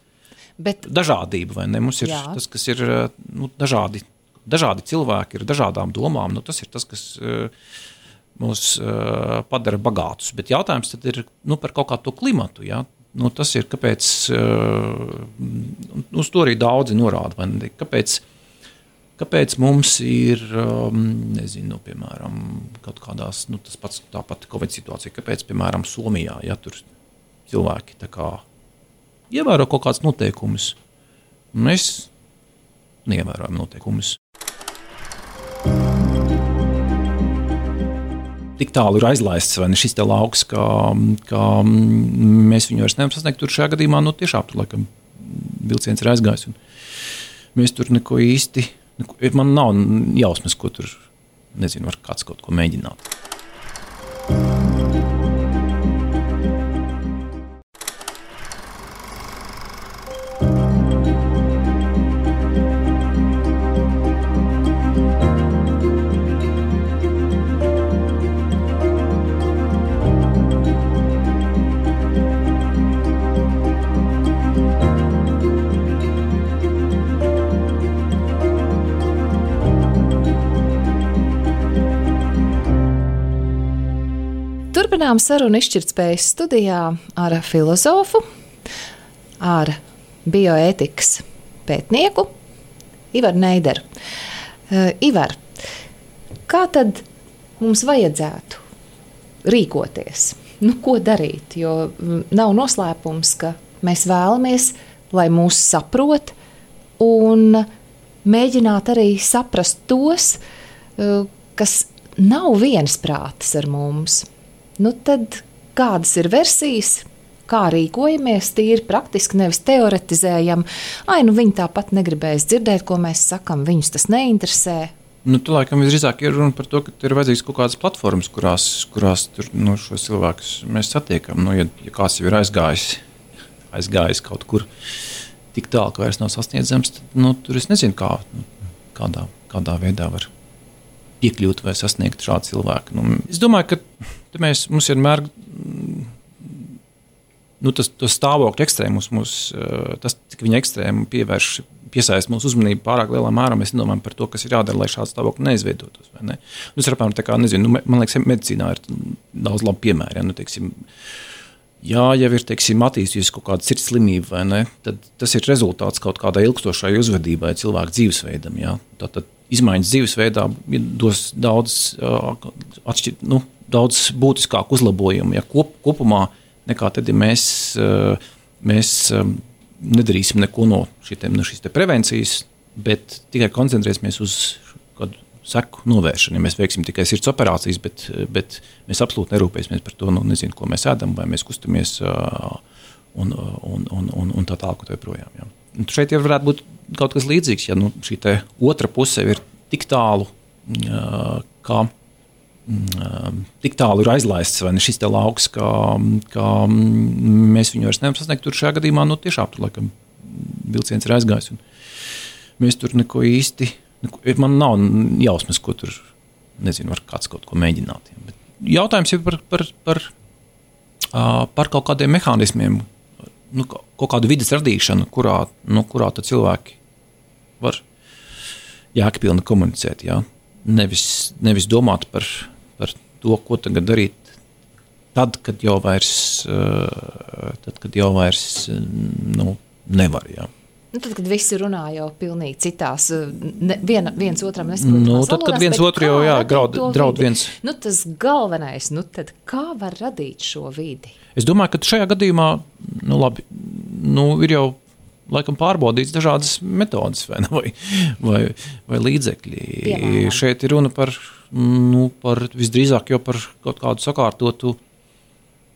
bet, dažādība, vai ne? Mums ir jā. Tas, kas ir nu, dažādi, dažādi cilvēki ar dažādām domām, nu, tas ir tas, kas... mūs uh, padara bagātus. Bet jautājums tad ir nu, par kaut kādu to klimatu. Ja? Nu, tas ir, kāpēc, uh, uz to arī daudzi norāda, vai ne? Kāpēc, kāpēc mums ir, um, nezinu, piemēram, kaut kādās, nu, tas pats tāpat Covid situācija, kāpēc, piemēram, Somijā, ja tur cilvēki tā kā ievēro kaut kāds noteikumus, mēs neievērojam noteikumus. Tik tālu ir aizlaists, vai ne šis te lauks, ka, ka mēs viņu vairs nevaram sasniegt. Tur šajā gadījumā, nu tiešām tur laikam vilciens ir aizgājis. Un mēs tur neko īsti, neko, man nav jausmas, ko tur, nezinu, var kāds kaut ko mēģināt. Turpinām sarunu izšķirtspējas studijā ar filozofu, ar bioētikas pētnieku Ivaru Neideru. Uh, Ivar, kā tad mums vajadzētu rīkoties? Nu, ko darīt? Jo nav noslēpums, ka mēs vēlamies, lai mūs saprot un mēģināt arī saprast tos, uh, kas nav viensprātis ar mums. Nu, tad kādas ir versijas? Kā rīkojamies, tīri praktiski, nevis teoretizējam. Ai, nu viņi tāpat negribēs dzirdēt, ko mēs sakam, viņus tas neinteresē. Nu, tu laikam visdrīzāk ir runa par to, ka ir vajadzīgs kaut kādas platformas, kurās, kurās tur, nu, šos cilvēkus mēs satiekam. Nu, ja, ja kāds jau ir aizgājis, aizgājis kaut kur tik tālu, ka vairs nav sasniedzams, tad nu, tur es nezinu, kā, nu, kādā, kādā veidā var piekļūt vai sasniegt šādu cilvēku. Nu, es domāju, ka mēs, mums vienmēr nu, tas, tas stāvokļu ekstrēmus, mūs, tas, cik viņa ekstrēmu pievērš, piesaist mūsu uzmanību pārāk lielā mērā, mēs nedomājam par to, kas ir jādara, lai šāds stāvokļi neizveidotos. Vai ne? Nu, es apmēram tā kā, nezinu, nu, man liekas, medicīnā ir daudz labu piemēru. Ja, nu, teiksim, jā, jau ir, teiksim, attīstījusi kaut kāda sirds slimība, vai ne, tad tas ir rezultāts kaut kādai ilgstošai uzvedībai cilvēku dzīvesveidam. Ja. Tātad izmaiņas dzīvesveidā dos daudz, atšķir, nu, daudz būtiskāku uzlabojumu, ja kop, kopumā nekā tad, ja mēs, mēs nedarīsim neko no, šitiem, no šīs te prevencijas, bet tikai koncentrēsimies uz kādu seku novēršanu. Ja mēs veiksim tikai sirds operācijas, bet, bet mēs absolūti nerūpēsimies par to, nu, nezinu, ko mēs ēdam, vai mēs kustamies un, un, un, un, un tā tālāk, tā projām. Ja. Un šeit jau varētu būt kaut kas līdzīgs, ja nu, šī te otra puse ir tik tālu, kā tik tālu ir aizlaists, vai ne šis te lauks, kā, kā mēs viņu vairs nevaram sasniegt. Tur šajā gadījumā, nu tiešām tur laikam vilciens ir aizgājis. Un mēs tur neko īsti, neko, man nav jausmas, ko tur, nezinu, var kāds kaut ko mēģināt. Bet jautājums ir par, par, par, par kaut kādiem mehānismiem, nu, kaut kādu vides radīšanu, kurā, nu, kurā tad cilvēki var jēgpilni komunicēt, jā. Nevis, nevis domāt par, par to, ko tagad darīt tad, kad jau vairs, tad, kad jau vairs nu, nevar. Jā. Nu, tad, kad visi runā jau pilnīgi citās, ne, viena, viens otram nesaprotamās nu, tad, kad viens otru jau jā, draud, draud viens. Nu, tas galvenais, nu tad kā var radīt šo vidi? Es domāju, ka šajā gadījumā, nu labi, nu ir jau laikam pārbaudīts dažādas metodas vai, vai, vai, vai līdzekļi. Piemēram. Šeit ir runa par, nu, par visdrīzāk jau par kaut kādu sakārtotu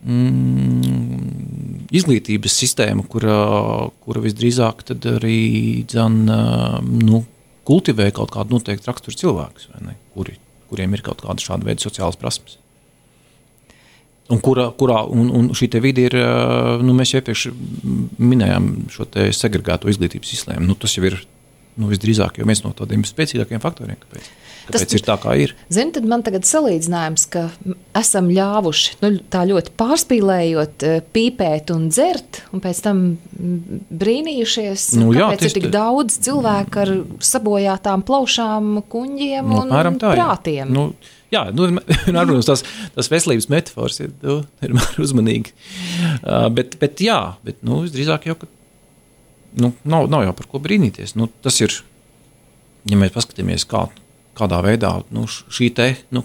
mm, izglītības sistēmu, kura, kura visdrīzāk tad arī dzen, nu, kultivē kaut kādu noteiktu raksturu cilvēkus, vai ne, kuri, kuriem ir kaut kāda šāda veida sociālas prasmes. Un, kurā, kurā, un, un šī te vidi ir, nu, mēs jau iepriekš minējām šo te segregēto izglītības sistēmu. Nu, tas jau ir, nu, visdrīzāk jau viens no tādiem spēcīgākiem faktoriem, kāpēc, kāpēc tas, ir tā, kā ir. Zini, tad man tagad salīdzinājums, ka esam ļāvuši, nu, tā ļoti pārspīlējot, pīpēt un dzert, un pēc tam brīnījušies, nu, jā, kāpēc ir tik te... daudz cilvēku ar sabojātām plaušām, kuņģiem nu, un tā, prātiem. Nu, jā, nu, protams, tās, tās veselības metafors ir, nu, ir uzmanīgi. Uh, bet, bet jā, bet, nu, drīzāk jau, ka, nu, nav, nav jau par ko brīnīties. Nu, tas ir, ja mēs paskatāmies, kā, kādā veidā, nu, šī te, nu,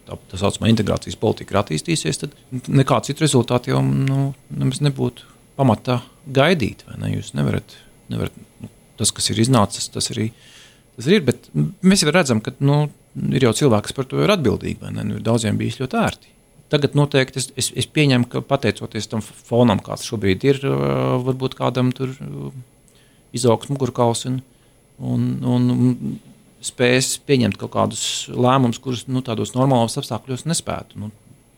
tā, tā saucamā integrācijas politika ir attīstīsies, tad nekā citu rezultātu jau, nu, nemaz nebūtu pamatā gaidīt, vai ne? Jūs nevarat, nevarat, nu, tas, kas ir iznācis, tas arī, tas arī ir, bet mēs jau redzam, ka, nu, ir jau cilvēki, kas par to ir atbildīgi, vai ne? Nu, daudziem bijis ļoti ērti. Tagad noteikti es, es, es pieņemu, ka pateicoties tam fonam, kāds šobrīd ir, varbūt kādam tur izaugs mugurkauls un, un, un spēs pieņemt kaut kādus lēmumus, kurus nu, tādos normālos apstākļos nespētu, nu,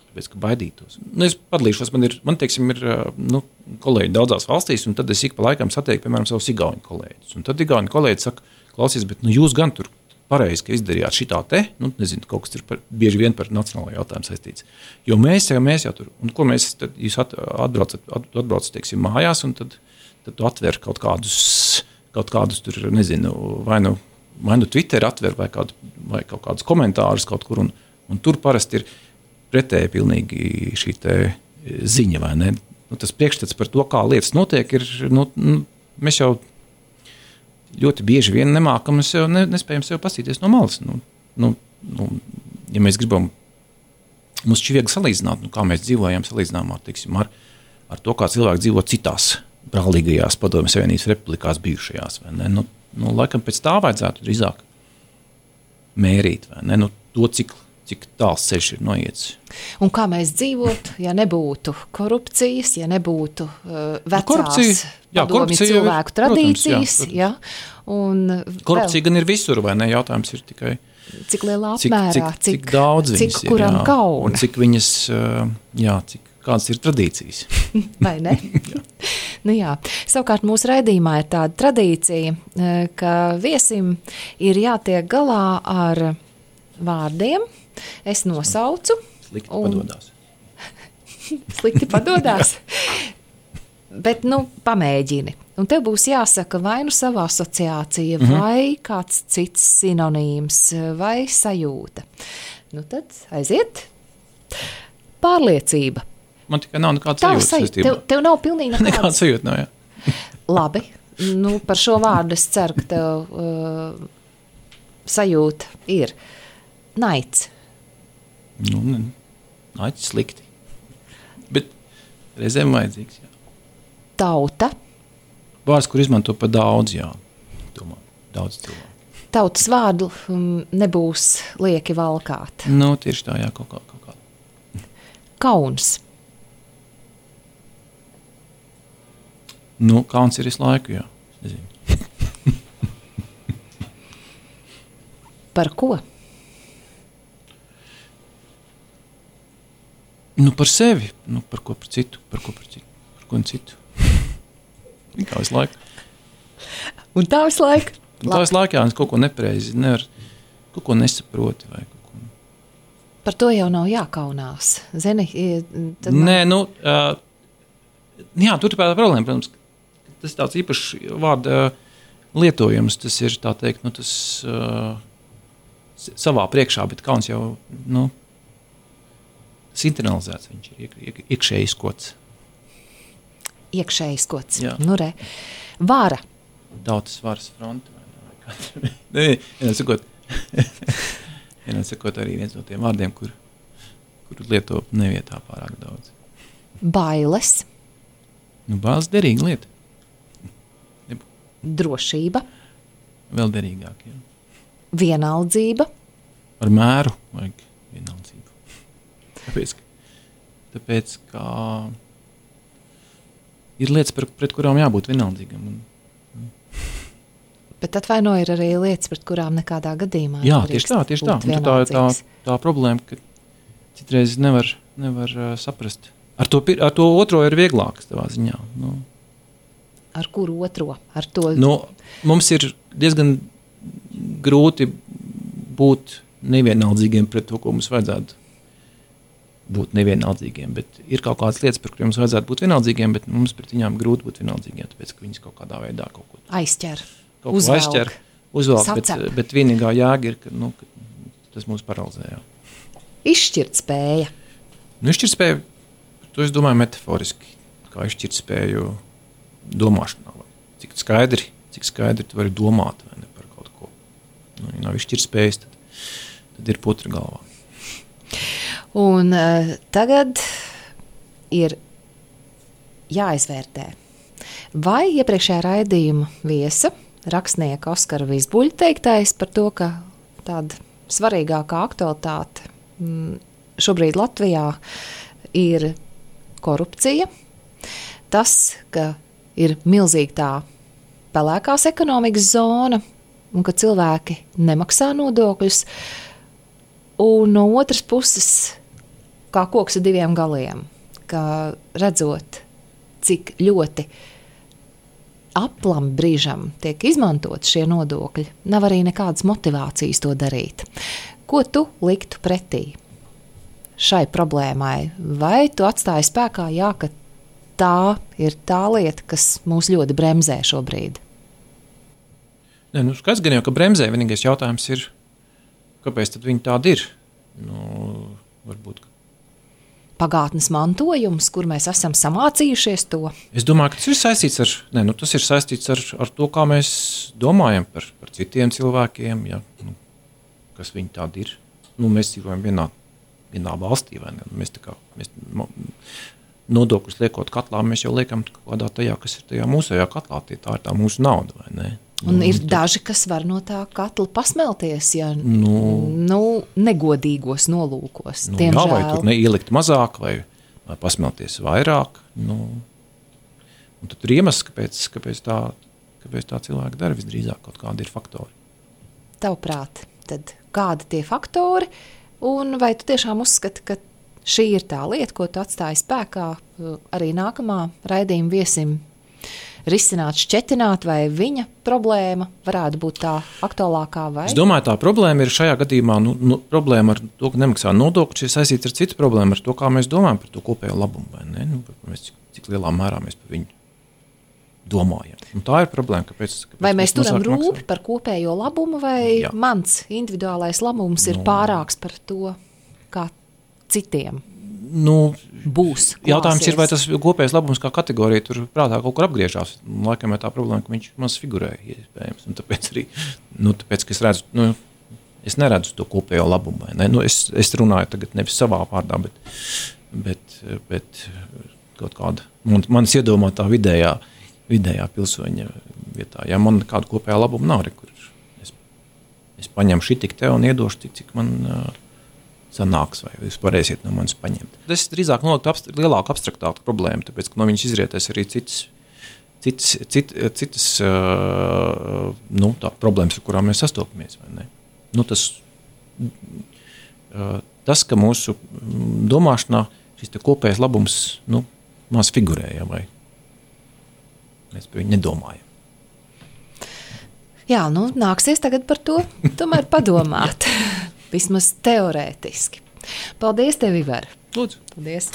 tāpēc, ka baidītos. Nu, es padalīšos, man ir, man teiksim, ir nu, kolēģi daudzās valstīs, un tad es ik pa laikam satieku, piemēram, savus igauņu kolēģus. Un tad igauņu kolēģi saka, klausies, bet nu, jūs gan tur pareizi, ka izdarījāt šitā te, nu, nezinu, kaut kas ir par, bieži vien par nacionālo jautājumu saistīts. Jo mēs jau, mēs jau tur, un ko mēs, tad jūs atbraucat, atbraucat, teiksim, mājās, un tad, tad tu atver kaut kādus, kaut kādus tur, nezinu, vai nu, vai nu Twitter atver, vai, kādu, vai kaut kādus komentārus kaut kur, un, un tur parasti ir pretēji pilnīgi šī te ziņa, vai ne? Nu, tas priekšstats par to, kā lietas notiek, ir, nu, nu, mēs jau ļoti bieži vien nemākam, mēs jau ne, nespējam sev pasīties no malas. Nu, nu, nu, ja mēs gribam, mums šķiet viegli salīdzināt, nu, kā mēs dzīvojam salīdzinājumā, teiksim, ar, ar to, kā cilvēki dzīvo citās brālīgajās Padomju Savienības republikās bijušajās, vai ne? Nu, nu, laikam pēc tā vajadzētu drīzāk mērīt, vai ne? Nu, to, cik cik tāls ceļš ir noiets. Un kā mēs dzīvotu, ja nebūtu korupcijas, ja nebūtu uh, vecās jā, padomju cilvēku ir, tradīcijas. Protams, jā, protams. Ja? Un korupcija vēl, gan ir visur, vai ne? Jautājums ir tikai, cik lielā apmērā, cik, cik, cik daudz cik viņas ir, kuram jā, kauna. un cik viņas, uh, jā, cik, kādas ir tradīcijas. Vai ne? Nu jā. Savukārt mūsu raidījumā ir tāda tradīcija, ka viesim ir jātiek galā ar vārdiem. Es nosaucu. Slikti un... padodās. Slikti padodās. Bet, nu, pamēģini. Un tev būs jāsaka vai nu savā asociācija, mm-hmm. vai kāds cits sinonīms, vai sajūta. Nu tad aiziet. Pārliecība. Man tikai nav nekāda sajūta. Tev, tev nav pilnīgi nekāda. Nekāda sajūta nav, jā. Labi. Nu, par šo vārdu es ceru, ka tev uh, sajūta ir. Naids. Nu, naids slikti. Bet reizēm vajadzīgs, jā. Tauta. Vārds, kur izmanto pa daudz, jā. Domā, daudz cilvēku. Tautas vārdu um, nebūs lieki valkāt. Nu, tieši tā, jā, kaut kā. Kaut kā. Kauns. Nu, kauns ir visu laiku, jā. Nezinu. Par ko? Nu, par sevi, nu, par ko par citu, par ko par citu, par ko un citu. Kā visu laiku. Un tā visu laiku? Un tā visu laiku, jā, es kaut ko nepareizi, nevar, kaut ko nesaproti vai kaut ko. Par to jau nav jākaunās, zini? Tad Nē, man... nu, uh, jā, tur ir problēma, protams, tas tāds īpašs vārda lietojums, tas ir, tā teikt, nu, tas uh, savā priekšā, bet kauns jau, nu, internalizēts, viņš ir iek, iek, iekšējs kods. Iekšējs kods. Jā. Nu re. Vara. Tautas varas fronte. Nē, vienā sakot, vienā sakot arī viens no tiem vārdiem, kur, kur lieto nevietā pārāk daudz. Bailes. Nu, bailes derīga lieta. Nebū. Drošība. Vēl derīgāk, jā. Vienaldzība. Ar mēru vajag vienaldzību. Tāpēc, tāpēc, kā ir lietas, par, pret kurām jābūt vienaldzīgam. Un, Bet atvaino ir arī lietas, pret kurām nekādā gadījumā. Jā, tieši tā, tieši tā. Un tā ir tā, tā problēma, ka citreiz nevar, nevar uh, saprast. Ar to, ar to otro ir vieglāks tavā ziņā. Nu, ar kuru otro? Ar to... Nu, mums ir diezgan grūti būt nevienaldzīgiem pret to, ko mums vajadzētu būt nevienaldzīgiem, bet ir kaut kādas lietas, par kuriem mums vajadzētu būt vienaldzīgiem, bet mums pret viņām grūti būt vienaldzīgiem, tāpēc, ka viņas kaut kādā veidā kaut ko aizķer, kaut ko uzvelk, aizķer, uzvelk, bet, bet vienīgā jēga ir, ka, nu, ka tas mūs paralizē. Jā. Izšķirt spēja. Nu, izšķirt spēju, to es domāju metaforiski, kā izšķirt spēju domāšanā. Cik skaidri, cik skaidri tu vari domāt vai ne par kaut ko. Nu, ja nav izšķirt spējas, tad, tad ir putra galvā. Un uh, tagad ir jāizvērtē, vai iepriekšējā raidījuma viesa, rakstnieka Oskara Vizbuļa teiktais par to, ka tāda svarīgākā aktualitāte m, šobrīd Latvijā ir korupcija, tas, ka ir milzīgi tā pelēkās ekonomikas zona un ka cilvēki nemaksā nodokļus, un no otras puses kā koks ar diviem galiem, ka redzot, cik ļoti aplam brīžam tiek izmantot šie nodokļi, nav arī nekādas motivācijas to darīt. Ko tu liktu pretī šai problēmai? Vai tu atstāji spēkā, jā, ka tā ir tā lieta, kas mūs ļoti bremzē šobrīd? Nē, nu, skaidrs gan jau, ka bremzē, vienīgais jautājums ir, kāpēc tad viņi tādi ir? Nu, varbūt pagātnes mantojums, kur mēs esam samācījušies to? Es domāju, ka tas ir saistīts ar, ne, nu, tas ir saistīts ar, ar to, kā mēs domājam par, par citiem cilvēkiem, ja, nu, kas viņi tādi ir. Nu, mēs dzīvojam vienā, vienā valstī, vai ne? Mēs tā kā, mēs nodokļus liekot katlā, mēs jau liekam kādā tajā, kas ir tajā mūsējā katlā, tie tā ir tā mūsu nauda, vai ne? Un nu, ir tad... daži, kas var no tā katla pasmelties, ja nu, nu, negodīgos nolūkos. Nu, jā, vai tur neielikt mazāk, vai, vai pasmelties vairāk. Nu, un tad ir iemesls, kāpēc, kāpēc, tā, kāpēc tā cilvēka dara visdrīzāk kaut kādi ir faktori. Tavuprāt, tad kādi tie faktori, un vai tu tiešām uzskati, ka šī ir tā lieta, ko tu atstāji spēkā arī nākamā raidījuma viesim risināt, šķetināt, vai viņa problēma varētu būt tā aktuālākā? Vai? Es domāju, tā problēma ir šajā gadījumā, nu, nu, problēma ar to, ka nemaksā nodokļus, ir saistīta ar citu problēmu, ar to, kā mēs domājam par to kopējo labumu, vai ne? Nu, mēs, cik, cik lielā mērā mēs par viņu domājam. Un tā ir problēma, kāpēc, kāpēc vai mēs turam rūpi maksāt? Par kopējo labumu, vai Jā. Mans individuālais labums ir no. pārāks par to, kā citiem? Nu, būs. Klāsies. Jautājums ir, vai tas kopējais labums kā kategorija tur prātā kaut kur apgriežās. Laikam ir tā problēma, ka viņš maz figurēja iespējams. Un tāpēc arī, nu, tāpēc, ka es redzu, nu, es neredzu to kopējo labumu. Ne? Nu, es, es runāju tagad nevis savā vārdā, bet, bet, bet kaut kāda, man, manis iedomātā vidējā, vidējā pilsoņa vietā. Ja man kāda kopējā labuma nav, kur es, es paņemšu tik te un iedošu tik, cik man sanāks, vai jūs varēsiet no manis paņemt. Tas drīzāk noliktu abst- lielāku abstraktātu problēmu, tāpēc, ka no viņas izrietēs arī citas, citas, cit, citas uh, nu, tā, problēmas, ar kurām mēs sastopamies. Vai ne? Nu, tas, uh, tas, ka mūsu domāšanā šis te kopējais labums nu, maz figurēja, vai mēs par viņu nedomājam. Jā, nu nāksies tagad par to tomēr padomāt. Vismaz teorētiski. Paldies tev, Ivar! Lūdzu! Paldies!